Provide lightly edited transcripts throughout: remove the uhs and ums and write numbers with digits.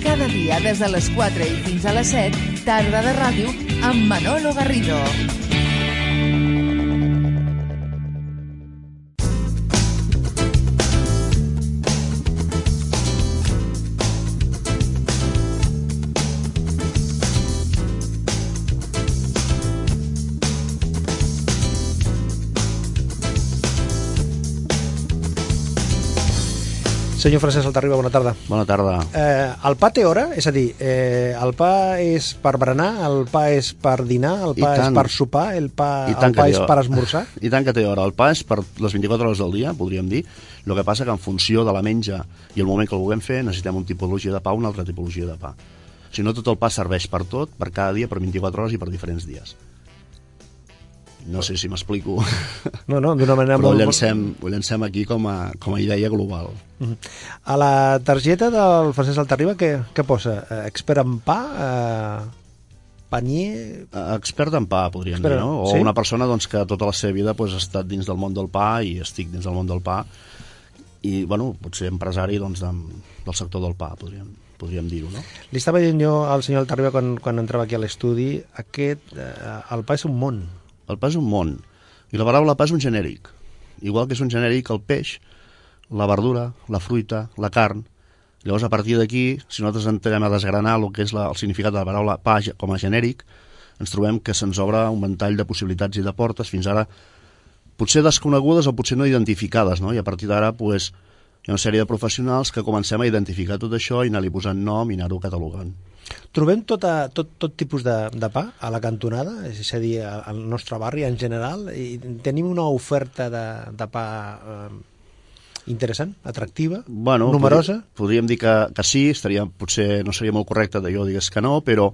Cada dia des de les 4 i fins a les 7, Tarda de Ràdio amb Manolo Garrido. Senyor Francesc Altarriba, bona tarda. Bona tarda. El pa té hora? És a dir, el pa és per berenar, el pa és per dinar, el pa és per sopar, el pa és per esmorzar? I tant que té hora. El pa és per les 24 hores del dia, podríem dir. El que passa que en funció de la menja i el moment que el vulguem fer, necessitem una tipologia de pa o una altra tipologia de pa. Si no, tot el pa serveix per tot, per cada dia, per 24 hores i per diferents dies. No sé si m'explico. No, d'una manera però molt... ho llancem aquí com a idea global. A la targeta del Francesc Altarriba què posa? Expert en pa? Panier? Expert en pa, podríem dir, no? O una persona doncs, que tota la seva vida ha estat dins del món del pa i estic dins del món del pa i, potser empresari doncs, del sector del pa, podríem dir-ho, no? Li estava dient jo al senyor Altarriba quan entrava aquí a l'estudi, el pa és un món. El pa és un món, i la paraula pa és un genèric. Igual que és un genèric el peix, la verdura, la fruita, la carn. Llavors, a partir d'aquí, si nosaltres entrem a desgranar el que és el significat de la paraula pa com a genèric, ens trobem que se'ns obre un ventall de possibilitats i de portes, fins ara potser desconegudes o potser no identificades, no? I a partir d'ara, hi ha una sèrie de professionals que comencem a identificar tot això i anar-li posant nom i anar-ho catalogant. Trobem tot tipus de pa a la cantonada, és a dir, al nostre barri en general, i tenim una oferta de pa interessant, atractiva, numerosa? Podríem dir que sí, potser no seria molt correcte de jo digués que no, però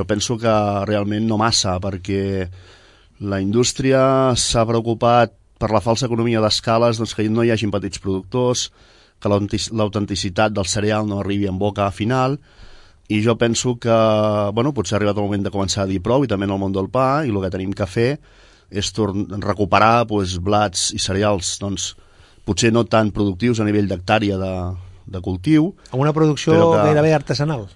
penso que realment no massa, perquè la indústria s'ha preocupat per la falsa economia d'escales, doncs que no hi hagin petits productors, que l'autenticitat del cereal no arribi en boca final. I jo penso que, potser ha arribat el moment de començar a dir prou, i també en el món del pa, i el que tenim que fer és recuperar blats i cereals, potser no tan productius a nivell d'hectàrea de cultiu. Amb una producció gairebé artesanal.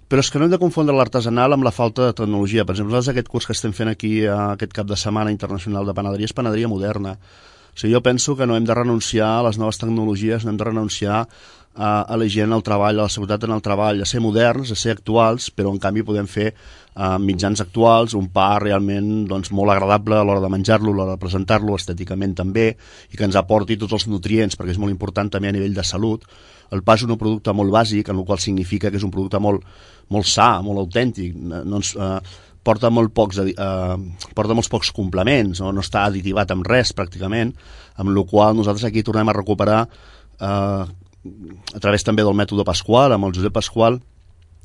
Però és que no hem de confondre l'artesanal amb la falta de tecnologia. Per exemple, nosaltres aquest curs que estem fent aquí aquest cap de setmana internacional de panaderia és panaderia moderna. O sigui, jo penso que no hem de renunciar a les noves tecnologies, no hem de renunciar a la gent, al treball, a la seguretat en el treball, a ser moderns, a ser actuals, però en canvi podem fer mitjans actuals, un pa realment molt agradable a l'hora de menjar-lo, a l'hora de presentar-lo, estèticament també, i que ens aporti tots els nutrients, perquè és molt important també a nivell de salut. El pa és un producte molt bàsic, en el qual significa que és un producte molt sa, molt autèntic, porta molts pocs complements, no està additivat amb res pràcticament, amb el qual nosaltres aquí tornem a recuperar a través també del mètode Pasqual, amb el Josep Pasqual,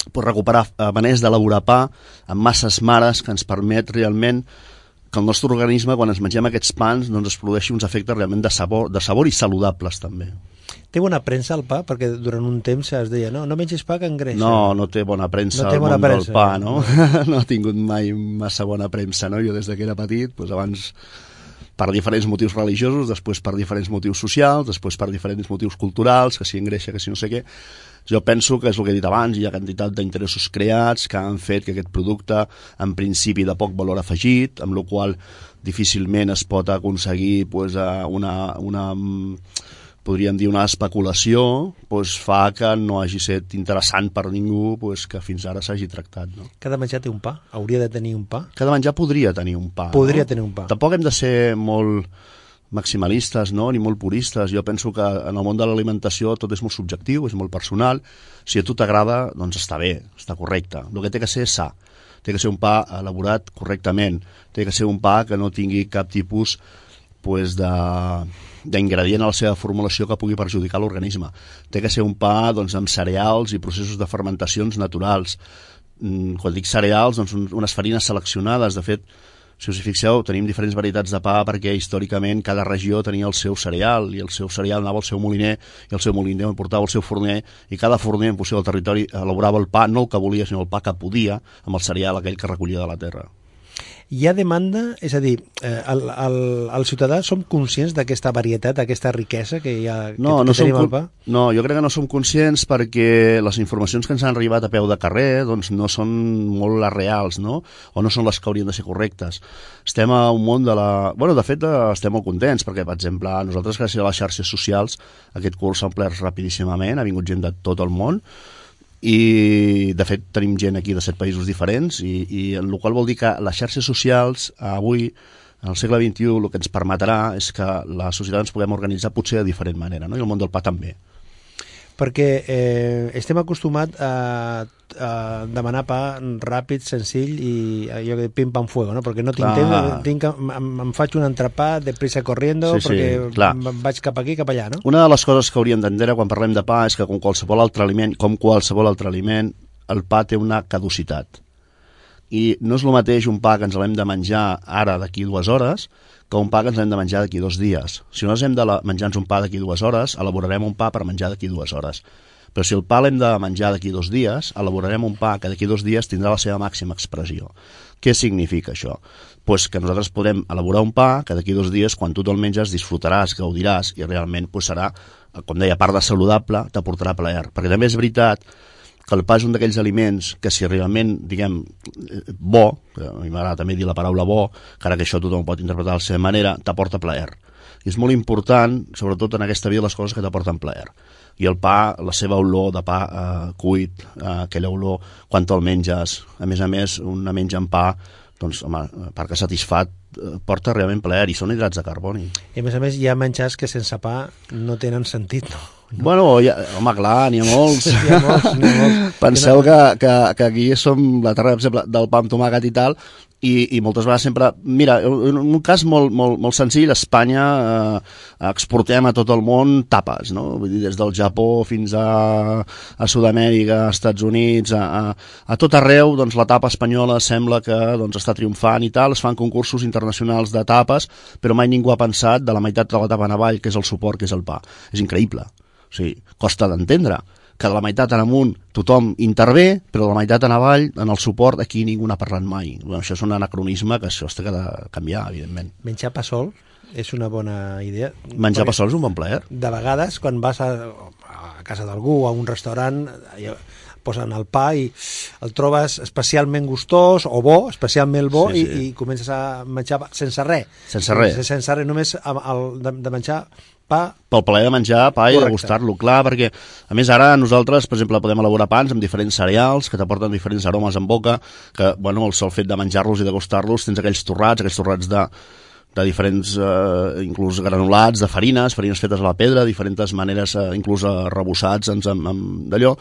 recuperar maneres d'elaborar pa amb masses mares que ens permet realment que el nostre organisme, quan ens mengem aquests pans, es produeixi uns efectes realment de sabor i saludables també. Té bona premsa el pa? Perquè durant un temps es deia no mengis pa que engreixa. No té bona premsa el món del pa, no? No ha tingut mai massa bona premsa, no? Jo des que era petit, abans per diferents motius religiosos, després per diferents motius socials, després per diferents motius culturals, que si engreixa, que si no sé què. Jo penso que és el que he dit abans, hi ha quantitat d'interessos creats que han fet que aquest producte, en principi de poc valor afegit, amb el qual difícilment es pot aconseguir podríem dir una especulació, fa que no hagi estat interessant per ningú que fins ara s'hagi tractat. No? Cada menjar té un pa? Hauria de tenir un pa? Cada menjar podria tenir un pa. Tenir un pa. Tampoc hem de ser molt maximalistes, no? Ni molt puristes. Jo penso que en el món de l'alimentació tot és molt subjectiu, és molt personal. Si a tu t'agrada, doncs està bé, està correcte. El que té que ser és sa. Té que ser un pa elaborat correctament. Té que ser un pa que no tingui cap tipus d'ingredient a la seva formulació que pugui perjudicar l'organisme. Té que ser un pa amb cereals i processos de fermentacions naturals. Quan dic cereals, unes farines seleccionades. De fet, si us hi fixeu, tenim diferents varietats de pa perquè històricament cada regió tenia el seu cereal i el seu cereal anava al seu moliner i el seu moliner portava el seu forner i cada forner en funció del territori elaborava el pa, no el que volia sinó el pa que podia amb el cereal aquell que recollia de la terra. Hi ha demanda, és a dir, el ciutadà som conscients d'aquesta varietat, d'aquesta riquesa que hi ha, que tenim al pa? No, jo crec que no som conscients perquè les informacions que ens han arribat a peu de carrer doncs no són molt les reals, no? O no són les que haurien de ser correctes. Estem a un món de la... Bueno, de fet, estem molt contents perquè, per exemple, nosaltres, gràcies a les xarxes socials, aquest curs s'ha omplert rapidíssimament, ha vingut gent de tot el món, i de fet tenim gent aquí de 7 països diferents i el qual vol dir que les xarxes socials avui, en el segle XXI, el que ens permetrà és que la societat ens puguem organitzar potser de diferent manera, no? I el món del pa també. Perquè estem acostumats a demanar pa ràpid, senzill i allò de pim pam fuego, no? Perquè no tinc em faig un entrepà de prisa corriendo, perquè vaig cap aquí, cap allà, no? Una de les coses que hauríem d'entendre quan parlem de pa és que com qualsevol altre aliment, el pa té una caducitat. I no és el mateix un pa que ens l'hem de menjar ara d'aquí 2 hores que un pa que ens l'hem de menjar d'aquí 2 dies. Si nosaltres hem de menjar-nos un pa d'aquí 2 hores, elaborarem un pa per menjar d'aquí 2 hores. Però si el pa l'hem de menjar d'aquí 2 dies, elaborarem un pa que d'aquí 2 dies tindrà la seva màxima expressió. Què significa això? Pues que nosaltres podem elaborar un pa que d'aquí 2 dies, quan tu te'l menges, disfrutaràs, gaudiràs, i realment serà, com deia, a part de saludable, t'aportarà plaer. Perquè també és veritat que el pa és un d'aquells aliments que si realment, diguem, bo, que a mi m'agrada també dir la paraula bo, encara que això tothom pot interpretar de la seva manera, t'aporta plaer. I és molt important, sobretot en aquesta vida, les coses que t'aporten plaer. I el pa, la seva olor de pa cuit, aquella olor quan te'l menges, a més, una menja en pa, doncs, home, perquè satisfat, porta realment plaer, i són hidrats de carboni. I a més, hi ha menjars que sense pa no tenen sentit, no? Bueno, home, clar, n'hi ha molts. Penseu que aquí som la terra, per exemple, del pa amb tomàquet i tal, i moltes vegades sempre... Mira, en un cas molt senzill, a Espanya exportem a tot el món tapes, no? Vull dir, des del Japó fins a Sud-amèrica, a Estats Units, a tot arreu, doncs la tapa espanyola sembla que doncs, està triomfant i tal, es fan concursos internacionals de tapes, però mai ningú ha pensat de la meitat de la tapa en avall, que és el suport, que és el pa. És increïble. O sigui, costa d'entendre que de la meitat en amunt tothom intervé, però de la meitat en avall, en el suport, aquí ningú n'ha parlat mai. Bueno, això és un anacronisme que això es té de canviar, evidentment. Menjar pa sol és una bona idea. Menjar pa sol és un bon plaer. De vegades, quan vas a casa d'algú o a un restaurant, posen el pa i el trobes especialment gustós o bo, especialment bo, sí. I comences a menjar sense res. Sense res. Sense res, només de menjar pa. Pel plaer de menjar pa i de gustar-lo, clar, perquè a més ara nosaltres, per exemple, podem elaborar pans amb diferents cereals que t'aporten diferents aromes en boca, que, bueno, el sol fet de menjar-los i de gustar-los, tens aquells torrats de diferents, inclús granulats, de farines fetes a la pedra, diferents maneres, inclús arrebossats d'allò,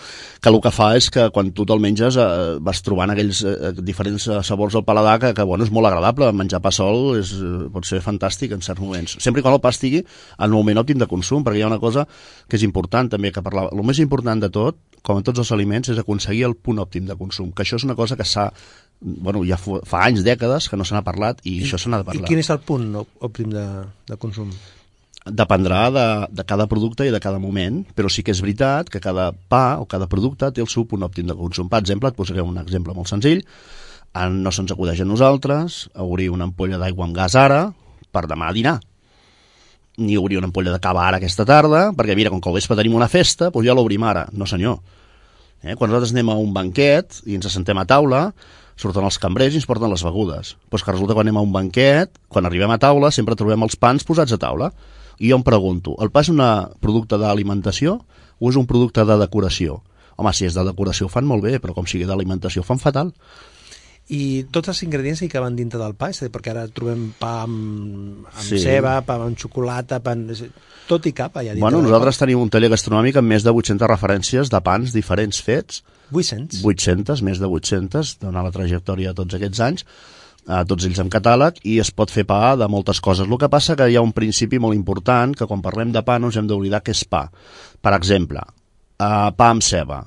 que el que fa és que quan tu te'l menges vas trobant aquells diferents sabors al paladar que bueno, és molt agradable. Menjar pa sol pot ser fantàstic en certs moments, sempre quan el pa estigui en el moment òptim de consum, perquè hi ha una cosa que és important també, que parlava, el més important de tot, com en tots els aliments, és aconseguir el punt òptim de consum, que això és una cosa que bueno, ja fa anys, dècades que no se n'ha parlat i això se n'ha de parlar. I quin és el punt òptim de consum? Dependrà de cada producte i de cada moment, però sí que és veritat que cada pa o cada producte té el seu punt òptim de consum. Per exemple, et posaré un exemple molt senzill. No se'ns acudeix a nosaltres obrir una ampolla d'aigua amb gas ara per demà a dinar, ni obrir una ampolla de cava ara aquesta tarda, perquè mira, com que al vespre tenim una festa, doncs ja l'obrim ara. No senyor. Quan nosaltres anem a un banquet i ens assentem a taula, surten els cambrers i ens porten les begudes. Doncs que resulta que quan anem a un banquet, quan arribem a taula, sempre trobem els pans posats a taula. I jo em pregunto, el pa és un producte d'alimentació o és un producte de decoració? Home, si és de decoració ho fan molt bé, però com sigui d'alimentació ho fan fatal. I tots els ingredients hi caben dintre del pa? És a dir, perquè ara trobem pa amb ceba, pa amb xocolata, tot hi cap allà dintre. Bueno, nosaltres tenim un taller gastronòmic amb més de 800 referències de pans diferents fets. 800? 800, més de 800, donant la trajectòria de tots aquests anys, tots ells en catàleg, i es pot fer pa de moltes coses. El que passa que hi ha un principi molt important, que quan parlem de pa no ens hem d'oblidar que és pa. Per exemple, pa amb ceba.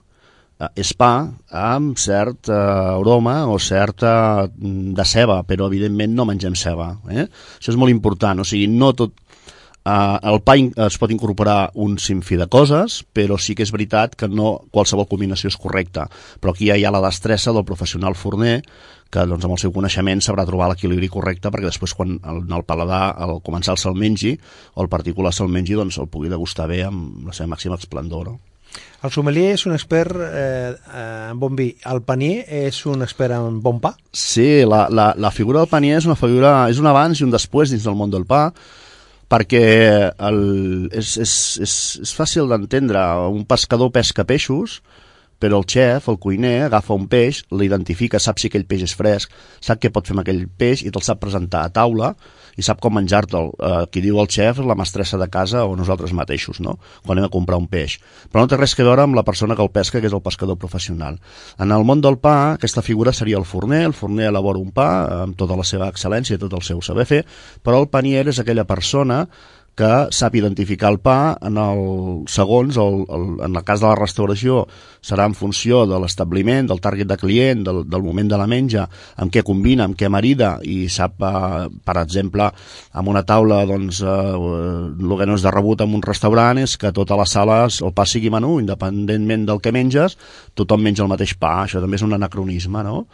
És pa amb cert aroma o certa de ceba, però evidentment no mengem ceba. Això és molt important, o sigui, no tot El pa es pot incorporar un sinfí de coses, però sí que és veritat que no qualsevol combinació és correcta. Però aquí ja hi ha la destressa del professional forner, que doncs, amb el seu coneixement sabrà trobar l'equilibri correcte perquè després quan el paladar, al començar se'l mengi, o el particular se'l mengi, doncs el pugui degustar bé amb la seva màxima esplendor, no? El sommelier és un expert en bon vi. El panier és un expert en bon pa? Sí, la figura del panier és una figura, és un abans i un després dins del món del pa, perquè és fàcil d'entendre. Un pescador pesca peixos, però el xef, el cuiner, agafa un peix, l'identifica, sap si aquell peix és fresc, sap què pot fer amb aquell peix i te'l sap presentar a taula i sap com menjar-te'l. Qui diu el xef és la mestressa de casa o nosaltres mateixos, no? Quan anem a comprar un peix. Però no té res a veure amb la persona que el pesca, que és el pescador professional. En el món del pa, aquesta figura seria el forner elabora un pa amb tota la seva excel·lència i tot el seu saber fer, però el panier és aquella persona que sap identificar el pa en el segons, en el cas de la restauració serà en funció de l'establiment, del target de client, del moment de la menja, amb què combina, amb què marida, i sap, per exemple, amb una taula, doncs, el que no és de rebut en un restaurant és que tota la sala, el pa sigui menú, independentment del que menges, tothom menja el mateix pa, això també és un anacronisme, no?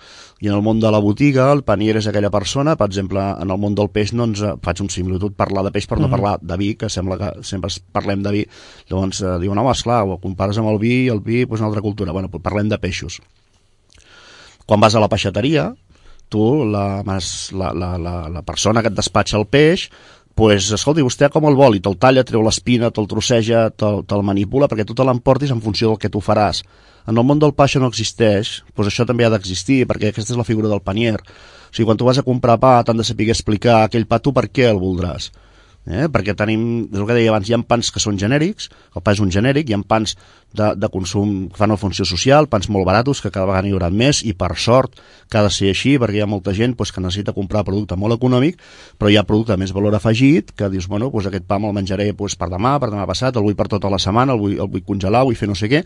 I en el món de la botiga, el panier és aquella persona, per exemple, en el món del peix, no ens faig un similitud, parlar de peix per no parlar de vi, que sembla que sempre parlem de vi, llavors diuen, home, esclar, ho compares amb el vi doncs una altra cultura. Bueno, parlem de peixos. Quan vas a la peixateria, tu, la persona que et despatxa el peix, pues, escolti, vostè com el vol? I te'l talla, treu l'espina, te'l trosseja, te'l manipula, perquè tu te l'emportis en funció del que tu faràs. En el món del pa això no existeix, doncs això també ha d'existir, perquè aquesta és la figura del panier. O sigui, quan tu vas a comprar pa, t'han de saber explicar aquell pa tu per què el voldràs. Perquè tenim, és el que deia abans, hi ha pans que són genèrics, el pa és un genèric, hi ha pans de consum que fan una funció social, pans molt baratos que cada vegada n'hi haurà més, i per sort que ha de ser així, perquè hi ha molta gent que necessita comprar producte molt econòmic, però hi ha producte de més valor afegit, que dius, bueno, aquest pa me'l menjaré per demà passat, el vull per tota la setmana, el vull congelar, vull fer no sé què,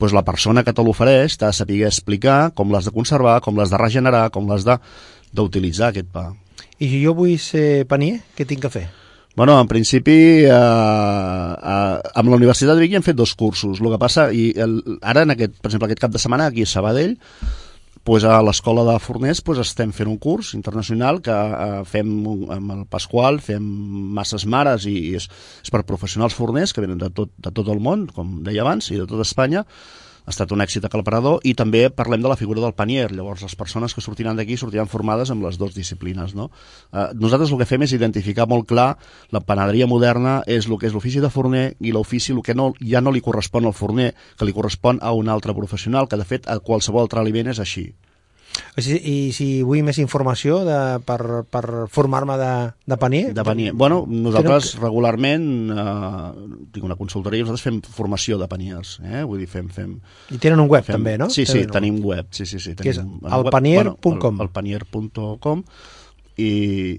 la persona que te l'ofereix t'ha de saber explicar com l'has de conservar, com l'has de regenerar, com l'has d'utilitzar aquest pa. I si jo vull ser panier, què tinc que fer? Bueno, en principi, amb la Universitat de Vic hi hem fet 2 cursos. El que passa, ara, per exemple, aquest cap de setmana, aquí a Sabadell, a l'Escola de Forners estem fent un curs internacional que fem amb el Pasqual, fem masses mares i és per professionals forners que venen de tot el món, com deia abans, i de tota Espanya. Ha estat un èxit aclaparador, i també parlem de la figura del panier. Llavors les persones que sortiran d'aquí sortiran formades amb les 2 disciplines, no? Nosaltres el que fem és identificar molt clar la panaderia moderna és el que és l'ofici de forner i l'ofici el que ja no li correspon al forner, que li correspon a un altre professional, que de fet a qualsevol altre aliment és així. I si vull més informació per formar-me de panier? De panier. Bueno, nosaltres regularment tinc una consultoria i nosaltres fem formació de paniers. Vull dir, fem... I tenen un web també, no? Sí, tenim web. Sí, que és elpanier.com. Elpanier.com. I,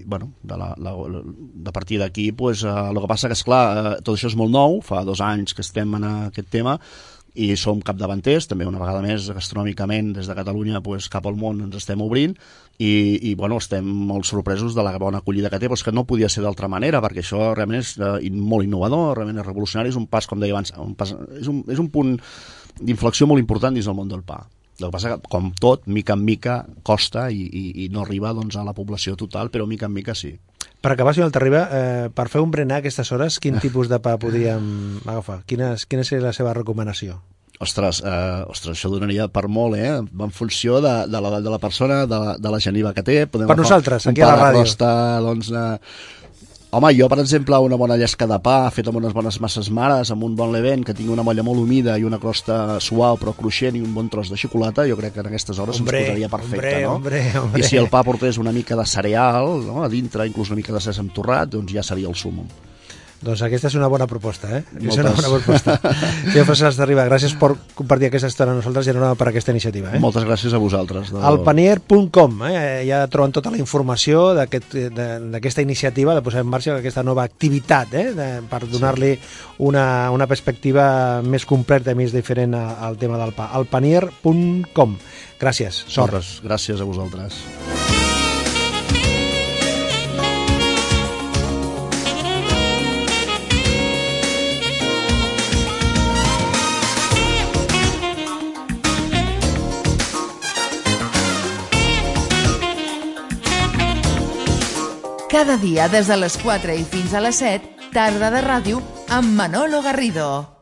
bueno, de partir d'aquí, el que passa que, esclar, tot això és molt nou, fa 2 anys que estem en aquest tema, i som capdavanters, també una vegada més gastronòmicament des de Catalunya cap al món ens estem obrint i bueno, estem molt sorpresos de la bona acollida que té, però és que no podia ser d'altra manera, perquè això realment és molt innovador, realment és revolucionari, és un pas, com deia abans, és un punt d'inflexió molt important dins del món del pa. El que passa que, com tot, mica en mica costa i no arriba doncs, a la població total, però mica en mica sí. Per acabar, senyor Altarriba, per fer un berenar a aquestes hores, quin tipus de pa podríem agafar? Quina seria la seva recomanació? Ostres, això donaria per molt, en funció de l'edat de la persona, de la geniva que té. Per nosaltres, aquí a la ràdio. Doncs, home, jo, per exemple, una bona llesca de pa feta amb unes bones masses mares, amb un bon levent, que tingui una molla molt humida i una crosta suau però cruixent i un bon tros de xocolata, jo crec que en aquestes hores ens posaria perfecte, no? Hombre. I si el pa portés una mica de cereal, no? A dintre, inclús una mica de sèsam torrat, doncs ja seria el súmmum. Doncs aquesta és una bona proposta, És una bona proposta. Senyor Francesc Altarriba, gràcies per compartir aquesta estona amb nosaltres i enhorabona per aquesta iniciativa. Moltes gràcies a vosaltres. Elpanier.com, ja troben tota la informació d'aquesta iniciativa de posar en marxa aquesta nova activitat, per donar-li una perspectiva més completa i més diferent al tema del pa. Elpanier.com. Gràcies, sort. Gràcies a vosaltres. Cada dia des de les 4 i fins a les 7, tarda de ràdio amb Manolo Garrido.